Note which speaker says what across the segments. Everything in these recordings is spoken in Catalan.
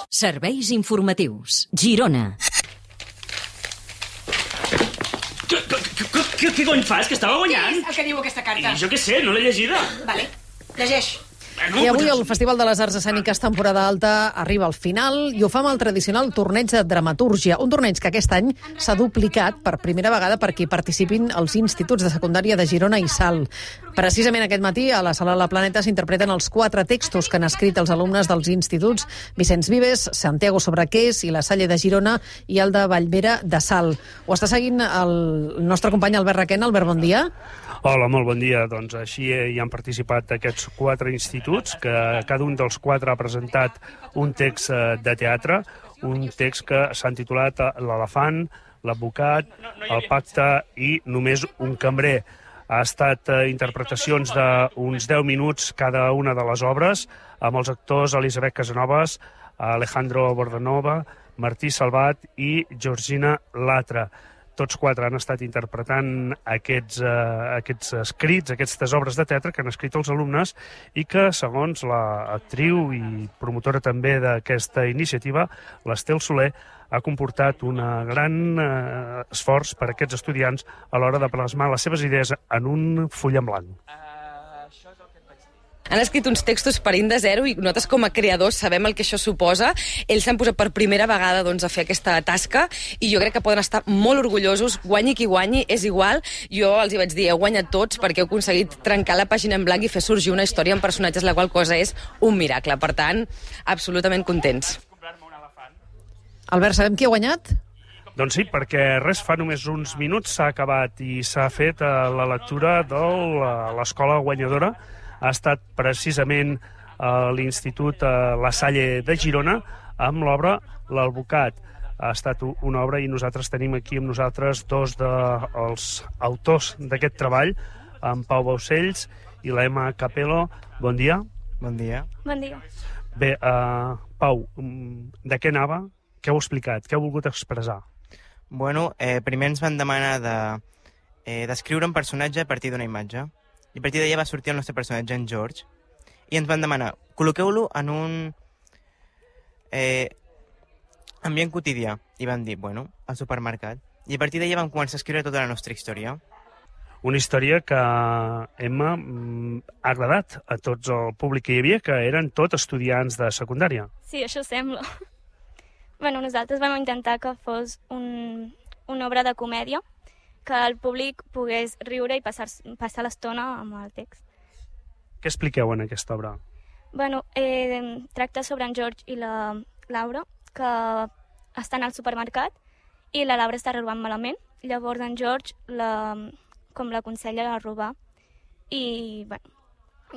Speaker 1: Serveis informatius. Girona.
Speaker 2: Què cony fas? Que estava guanyant?
Speaker 3: Què és el que diu aquesta carta?
Speaker 2: Jo què sé, no l'he llegida.
Speaker 3: Vale, llegeix.
Speaker 4: I avui el Festival de les Arts Escèniques temporada alta arriba al final i ho fa amb el tradicional torneig de dramatúrgia, un torneig que aquest any s'ha duplicat per primera vegada perquè hi participin els instituts de secundària de Girona i Salt. Precisament aquest matí a la Sala La Planeta s'interpreten els 4 textos que han escrit els alumnes dels instituts Vicenç Vives, Santiago Sobrequés i La Salle de Girona i el de Vallvera de Salt. Ho està seguint el nostre company Albert Requena. Albert, bon dia.
Speaker 5: Hola, molt bon dia. Doncs així hi han participat aquests 4 instituts, que cada un dels 4 ha presentat un text de teatre, un text que s'ha titulat L'elefant, l'advocat, el pacte i només un cambrer. Ha estat interpretacions d'uns 10 minuts cada una de les obres, amb els actors Elisabet Casanovas, Alejandro Bordanova, Martí Salvat i Georgina Latra. Tots 4 han estat interpretant aquests escrits, aquestes obres de teatre que han escrit els alumnes i que, segons l'actriu i promotora també d'aquesta iniciativa, l'Estel Soler, ha comportat un gran esforç per a aquests estudiants a l'hora de plasmar les seves idees en un full en blanc.
Speaker 6: Han escrit uns textos parint de zero i nosaltres com a creadors sabem el que això suposa. Ells s'han posat per primera vegada a fer aquesta tasca i jo crec que poden estar molt orgullosos, guanyi qui guanyi, és igual. Jo els hi vaig dir, heu guanyat tots perquè heu aconseguit trencar la pàgina en blanc i fer sorgir una història amb personatges, la qual cosa és un miracle. Per tant, absolutament contents.
Speaker 4: Albert, sabem qui ha guanyat?
Speaker 5: Doncs sí, perquè res fa només uns minuts s'ha acabat i s'ha fet la lectura de l'escola guanyadora. Ha estat precisament l'Institut La Salle de Girona amb l'obra L'Albocat. Ha estat una obra i nosaltres tenim aquí amb nosaltres 2 dels autors d'aquest treball, en Pau Baucells i l'Emma Capello. Bon dia.
Speaker 7: Bon dia.
Speaker 8: Bon dia.
Speaker 5: Bé, Pau, de què anava? Què heu explicat? Què heu volgut expressar?
Speaker 7: Bueno, primer ens van demanar d'escriure un personatge a partir d'una imatge. I a partir d'allà va sortir el nostre personatge, en George, i ens van demanar, col·loqueu-lo en un ambient quotidià. I van dir, bueno, al supermercat. I a partir d'allà vam començar a escriure tota la nostra història.
Speaker 5: Una història que, Emma, ha agradat a tots el públic que hi havia, que eren tot estudiants de secundària.
Speaker 8: Sí, això sembla. Bueno, nosaltres vam intentar que fos una obra de comèdia, que el públic pogués riure i passar l'estona amb el text.
Speaker 5: Què expliqueu en aquesta obra?
Speaker 8: Bueno, tracta sobre en George i la Laura, que estan al supermercat i la Laura està robant malament. Llavors en George com l'aconsella a robar. I bueno,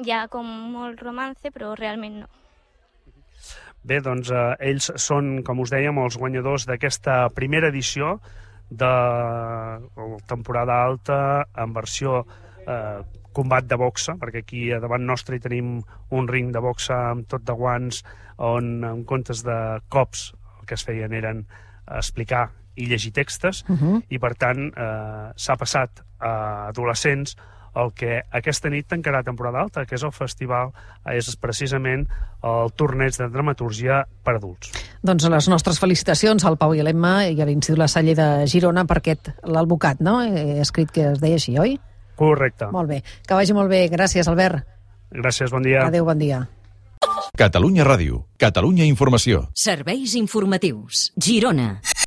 Speaker 8: hi ha com molt romance, però realment no.
Speaker 5: Bé, doncs ells són, com us dèiem, els guanyadors d'aquesta primera edició de la temporada alta en versió combat de boxa, perquè aquí davant nostre hi tenim un ring de boxa amb tot de guants on en comptes de cops el que es feien eren explicar i llegir textos i per tant s'ha passat a adolescents el que aquesta nit tancarà temporada alta, que és el festival, és precisament el torneig de dramatúrgia per adults.
Speaker 4: Doncs les nostres felicitacions al Pau i a l'Emma i a l'Institut La Salle de Girona per aquest l'Albocat, no? He escrit que es deia així, oi?
Speaker 5: Correcte.
Speaker 4: Molt bé. Que vagi molt bé. Gràcies, Albert.
Speaker 5: Gràcies, bon dia.
Speaker 4: Adéu, bon dia.
Speaker 9: Catalunya Ràdio. Catalunya Informació.
Speaker 1: Serveis informatius. Girona.